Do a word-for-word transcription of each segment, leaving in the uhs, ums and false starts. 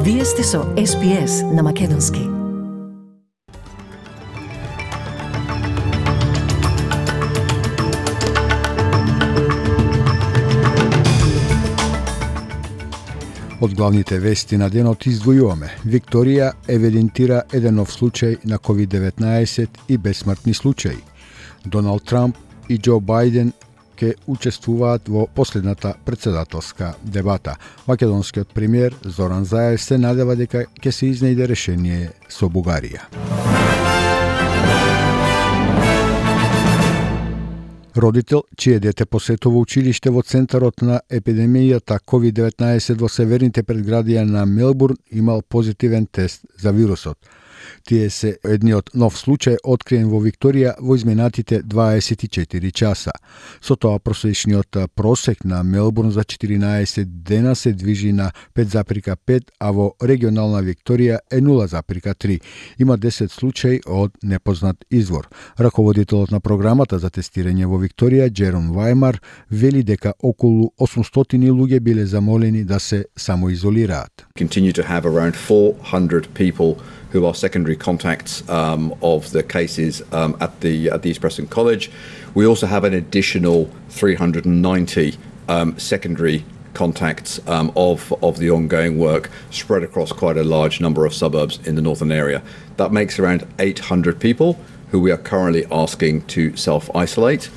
Вие сте со Ес Би Ес на Македонски. Од главните вести на денот издвојуваме: Викторија евидентира еден нов случај на ковид деветнаесет и бесмртни случаи. Доналд Трамп и Џо Бајден ке учествуваат во последната претседателска дебата. Македонскиот премиер Зоран Заев се надева дека ќе се изнајде решение со Бугарија. Родител, чие дете посетува училиште во центарот на епидемијата ковид деветнаесет во северните предградија на Мелбурн, имал позитивен тест за вирусот. Тие се едниот нов случај откриен во Викторија во изминатите дваесет и четири часа. Со тоа просечниот просек на Мелбурн за четиринаесет дена се движи на пет запирка пет, а во регионална Викторија е нула запирка три. Има десет случаи од непознат извор. Раководителот на програмата за тестирање во Викторија, Джером Вајмар, вели дека околу осумстотини луѓе биле замолени да се самоизолираат. Continue to have around four hundred people who are secondary contacts um, of the cases um, at the at the East Preston College. We also have an additional three hundred ninety um, secondary contacts um, of of the ongoing work spread across quite a large number of suburbs in the northern area. That makes around eight hundred people who we are currently asking to self-isolate.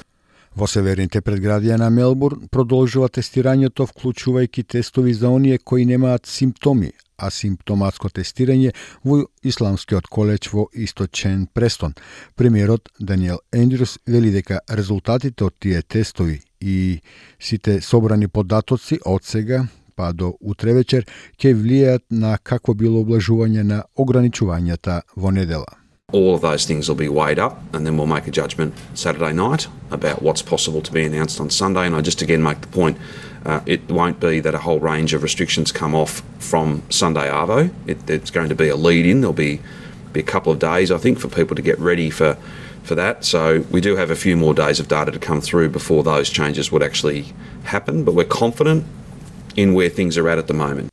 Во северните предградија на Мелбурн продолжува тестирањето, вклучувајќи тестови за оние кои немаат симптоми, а симптоматско тестирање во Исламскиот коледж во источен Престон. Премиерот Даниел Ендрюс вели дека резултатите од тие тестови и сите собрани податоци од сега па до утре вечер ќе влијаат на какво било облажување на ограничувањата во недела. All of those things will be weighed up, and then we'll make a judgment Saturday night about what's possible to be announced on Sunday. And I just again make the point, uh, it won't be that a whole range of restrictions come off from Sunday Arvo. It, it's going to be a lead-in. There'll be, be a couple of days, I think, for people to get ready for, for that. So we do have a few more days of data to come through before those changes would actually happen, but we're confident in where things are at at the moment.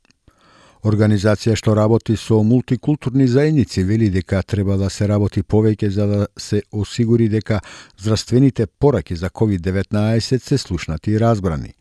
Организација што работи со мултикултурни заедници вели дека треба да се работи повеќе за да се осигури дека здравствените пораки за ковид деветнаесет се слушнати и разбрани.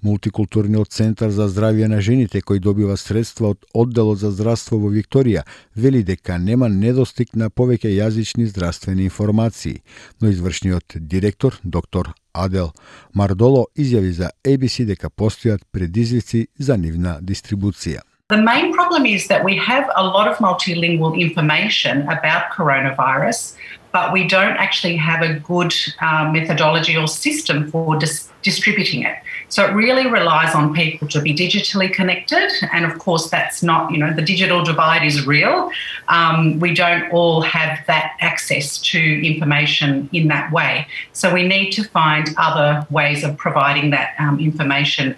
Мултикултурниот центар за здравје на жените, кој добива средства од одделот за здравство во Викторија, вели дека нема недостиг на повеќе јазични здравствени информации, но извршниот директор, доктор Адел Мардоло, изјави за Ей Би Си дека постојат предизвици за нивна дистрибуција. The main problem is that we have a lot of multilingual information about coronavirus, but we don't actually have a good uh, methodology or system for dis- distributing it. So it really relies on people to be digitally connected, and of course that's not, you know, the digital divide is real. Um, we don't all have that access to information in that way. So we need to find other ways of providing that um, information.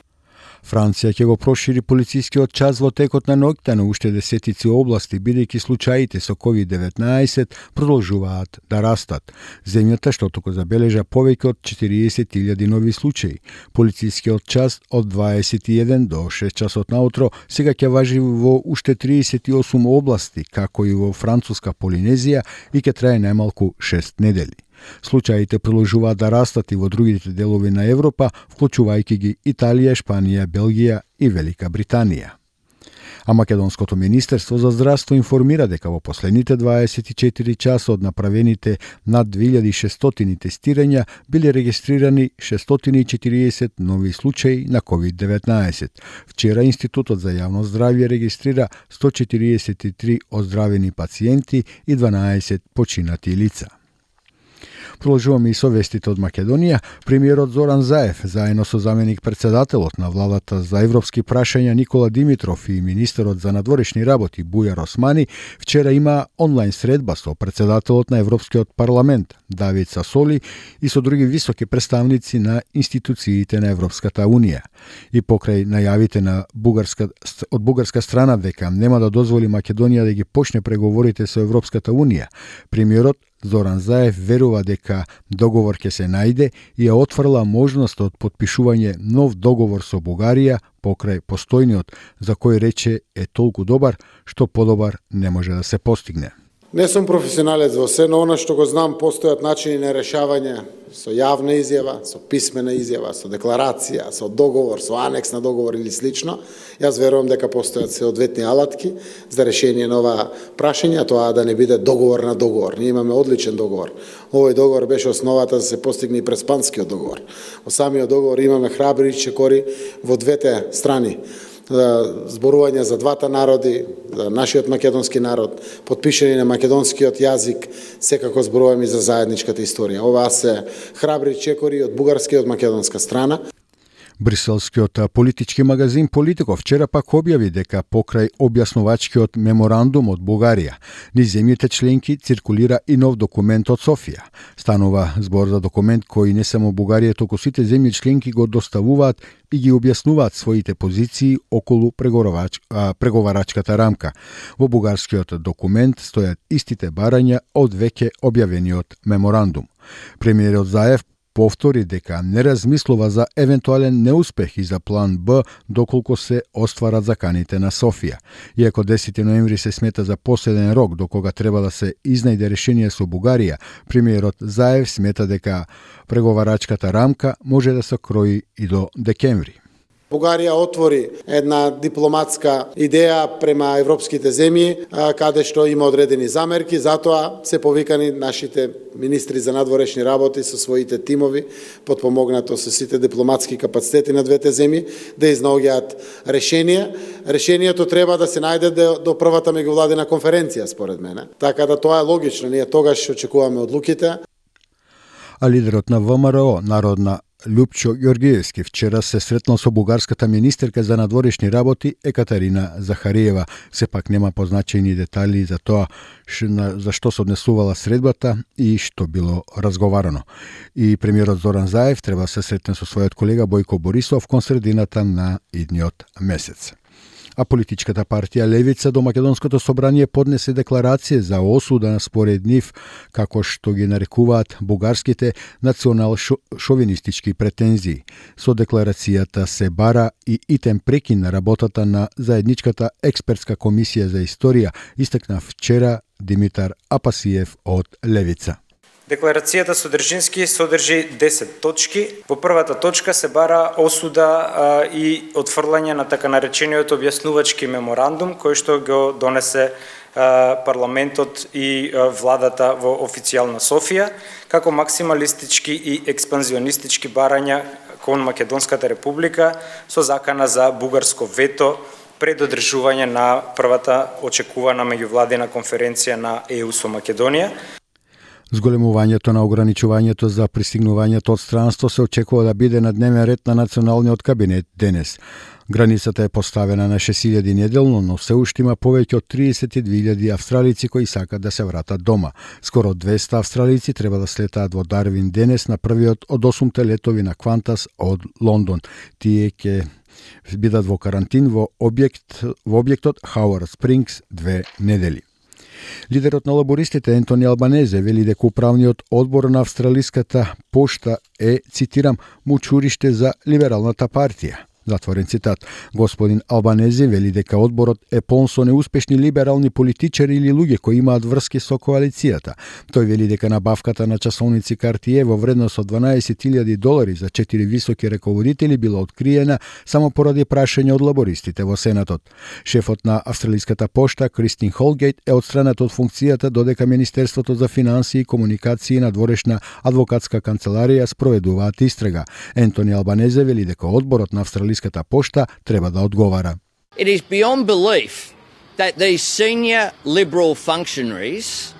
Франција ќе го прошири полицискиот час во текот на ноќта на уште десетици области, бидејќи случаите со ковид деветнаесет продолжуваат да растат. Земјата што току забележа повеќе од четириесет илјади нови случаи. Полицискиот час од дваесет и еден до шест часот наутро сега ќе важи во уште триесет и осум области, како и во Француска Полинезија, и ќе трае најмалку шест недели. Случаите продолжуваат да растат и во другите делови на Европа, вклучувајќи ги Италија, Шпанија, Белгија и Велика Британија. А Македонското министерство за здравство информира дека во последните дваесет и четири часа од направените над две илјади и шестстотини тестирања биле регистрирани шестстотини и четириесет нови случаи на ковид деветнаесет. Вчера Институтот за јавно здравје регистрира сто четириесет и три оздравени пациенти и дванаесет починати лица. Продолжуваме и со вестите од Македонија. Премиерот Зоран Заев, заедно со заменик председателот на владата за европски прашања Никола Димитров и министерот за надворешни работи Бујар Османи, вчера има онлайн средба со председателот на Европскиот парламент Давид Сасоли и со други високи представници на институциите на Европската унија. И покрај најавите на бугарска, од бугарска страна дека нема да дозволи Македонија да ги почне преговорите со Европската унија, премиерот Зоран Заев верува дека договор ќе се најде и ја отфрла можност од потпишување нов договор со Бугарија покрај постојниот, за кој рече е толку добар што подобар не може да се постигне. Не сум професионалец во се, но она што го знам, постојат начини на решавање со јавна изјава, со писмена изјава, со декларација, со договор, со анекс на договор или слично. Јас верувам дека постојат соодветни алатки за решение на ова прашање, тоа да не биде договор на договор. Ние имаме одличен договор. Овој договор беше основата да се постигне и Преспанскиот договор. Во самиот договор имаме храбри чекори во двете страни. Зборување за двата народи, за нашиот македонски народ, потпишани на македонскиот јазик, секако зборуваме за заедничката историја. Ова се храбри чекори од бугарска и од македонска страна. Бриселскиот политички магазин Политико вчера пак објави дека покрај објаснувачкиот меморандум од Бугарија, низ земјите членки циркулира и нов документ од Софија. Станува збор за документ кој не само Бугарија, туку сите земји членки го доставуваат и ги објаснуваат своите позиции околу преговарач, преговарачката рамка. Во бугарскиот документ стојат истите барања од веќе објавениот меморандум. Премиерот Заев повтори дека не размислува за евентуален неуспех и за план Б доколку се остварат заканите на Софија. Иако десети ноември се смета за последен рок до кога треба да се изнајде решение со Бугарија, премиерот Заев смета дека преговарачката рамка може да се крои и до декември. Бугарија отвори една дипломатска идеја према европските земји, каде што има одредени замерки, затоа се повикани нашите министри за надворешни работи со своите тимови, потпомогнато со сите дипломатски капацитети на двете земји, да изнаоѓаат решение. Решението треба да се најде до првата меѓувладина конференција, според мене. Така да тоа е логично, ние тогаш очекуваме одлуките. А лидерот на ВМРО, Народна Љупчо Ѓоргиевски, вчера се сретнал со бугарската министерка за надворешни работи Екатерина Захариева. Сепак нема позначени детали за тоа за што се однесувала средбата и што било разговарано. И премиерот Зоран Заев треба да се сретне со својот колега Бојко Борисов кон средината на идниот месец. А политичката партија Левица до Македонското собрание поднесе декларација за осуда според нив, како што ги нарекуваат бугарските национал-шовинистички претензии. Со декларацијата се бара и итем прекин на работата на заедничката експертска комисија за историја, истакна вчера Димитар Апасиев од Левица. Декларацијата содржински содржи десет точки. Во првата точка се бара осуда а, и отфрлање на така наречениот објаснувачки меморандум, кој што го донесе а, парламентот и а, владата во официјална Софија, како максималистички и експанзионистички барања кон Македонската република со закана за бугарско вето пред одржување на првата очекувана меѓувладина конференција на Е У со Македонија. Зголемувањето на ограничувањето за пристигнувањето од странство се очекува да биде на дневен ред на националниот кабинет денес. Границата е поставена на шест илјади неделно, но се уште има повеќе од триесет и две илјади австралици кои сакат да се вратат дома. Скоро двеста австралици треба да слетаат во Дарвин денес на првиот од осумте летови на Квантас од Лондон. Тие ќе бидат во карантин во објект во објектот Хауард Спрингс две недели. Лидерот на лабористите Ентони Албанезе вели дека управниот одбор на австралиската пошта е, цитирам, мучуриште за либералната партија. Затворен цитат. Господин Албанези вели дека одборот е полн со неуспешни либерални политичари или луѓе кои имаат врски со коалицијата. Тој вели дека набавката на часовници Картие во вредност од дванаесет илјади долари за четири високи раководители била откриена само поради прашање од лабористите во Сенатот. Шефот на австралиската пошта Кристин Холгейт е отстранет од функцијата додека Министерството за финансии и комуникации и надворешна адвокатска канцеларија спроведуваат истрага. Ентони Албанезе вели дека одборот на австралиската пошта треба да одговара. It is beyond belief that these senior Liberal functionaries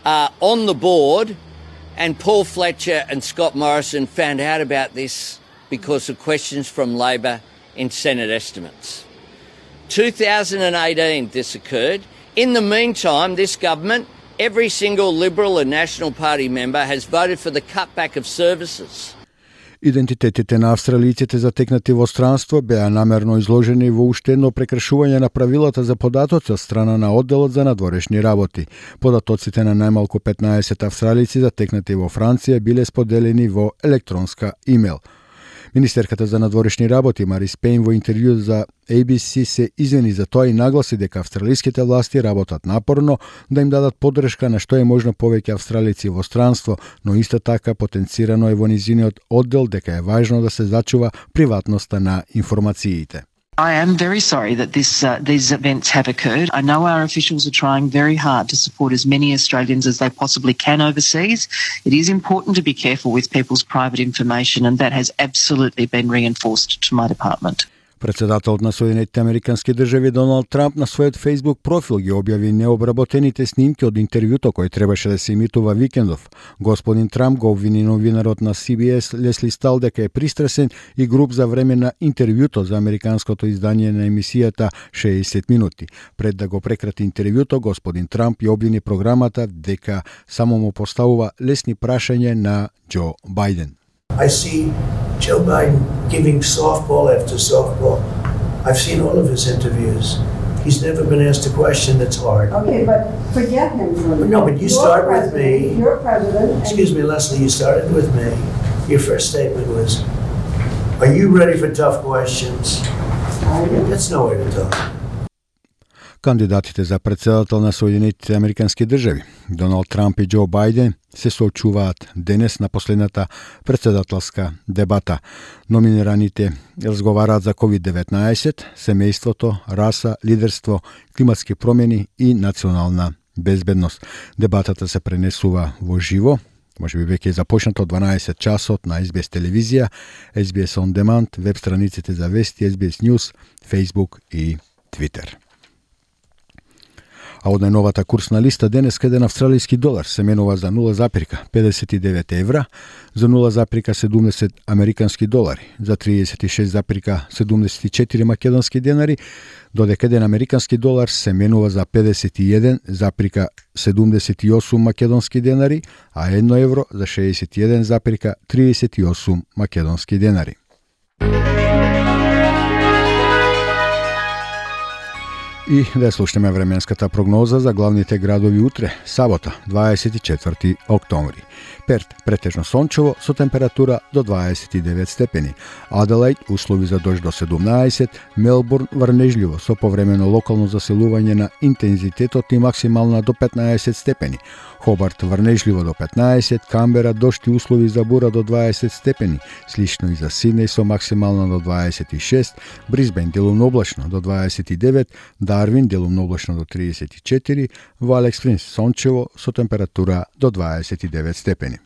are on the board and Paul Fletcher and Scott Morrison found out about this because of questions from Labor in Senate estimates. two thousand eighteen this occurred. In the meantime, this government, every single Liberal and National Party member has voted for the cutback of services. Идентитетите на австралијците затекнати во странство беа намерно изложени во уште едно прекршување на правилата за податоци од страна на одделот за надворешни работи. Податоците на најмалку петнаесет австралијци затекнати во Франција биле споделени во електронска имейл. Министерката за надворешни работи Марис Пейн во интервју за A B C се извини за тоа и нагласи дека австралиските власти работат напорно да им дадат поддршка на што е можно повеќе австралици во странство, но исто така потенцирано е во низиниот оддел дека е важно да се зачува приватноста на информациите. I am very sorry that this, uh, these events have occurred. I know our officials are trying very hard to support as many Australians as they possibly can overseas. It is important to be careful with people's private information, and that has absolutely been reinforced to my department. Председателот на Соединетите Американски држави Доналд Трамп на својот Facebook профил ги објави необработените снимки од интервјуто кој требаше да се емитува викендов. Господин Трамп го обвини новинарот на C B S Лесли Стал дека е пристрасен и груб за време на интервјуто за американското издание на емисијата шеесет минути. Пред да го прекрати интервјуто, господин Трамп ја обвини програмата дека само му поставува лесни прашања на Џо Бајден. I see Joe Biden giving softball after softball. I've seen all of his interviews. He's never been asked a question that's hard. Okay, but forget him for a minute. No, but you You're start with president. me. You're president. Excuse me, Leslie, you started with me. Your first statement was, are you ready for tough questions? I do. That's no way to talk. Кандидатите за председател на Соединетите Американски држави, Доналд Трамп и Џо Бајден, се соочуваат денес на последната председателска дебата. Номинираните разговараат за ковид деветнаесет, семејството, раса, лидерство, климатски промени и национална безбедност. Дебатата се пренесува во живо, може би веќе е започнато од дванаесет часот на Ес Би Ес телевизија, Ес Би Ес On Demand, веб страниците за вести, Ес Би Ес News, Facebook и Twitter. А од најновата курсна листа денес еден австралијски долар се менува за нула запирка педесет и девет евра, за нула запирка седумдесет американски долари, за триесет и шест запирка седумдесет и четири македонски денари, додека еден американски долар се менува за педесет и еден запирка седумдесет и осум македонски денари, а едно евро за шеесет и еден запирка триесет и осум македонски денари. И да слушнеме временската прогноза за главните градови утре, сабота, дваесет и четврти октомври. Перт претежно сончево со температура до дваесет и девет степени. Аделајд услови за дожд до седумнаесет, Мелбурн врнежливо со повремено локално заселување на интензитетот и максимална до петнаесет степени. Хобарт врнежливо до петнаесет, Камбера дожд и услови за бура до дваесет степени, слично и за Сиднеј со максимална до дваесет и шест, Брисбен делумно облачно до дваесет и девет, Дарвин делумно облачно до триесет и четири, во Алекс Спрингс сончево со температура до дваесет и девет степени.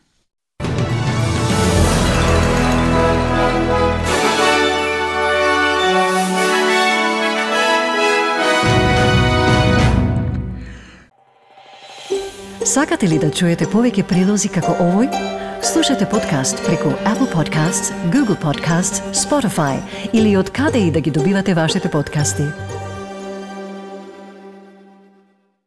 Сакате ли да чуете повеќе прилози како овој? Слушате подкаст преку Apple Podcasts, Google Podcasts, Spotify или од каде и да ги добивате вашите подкасти.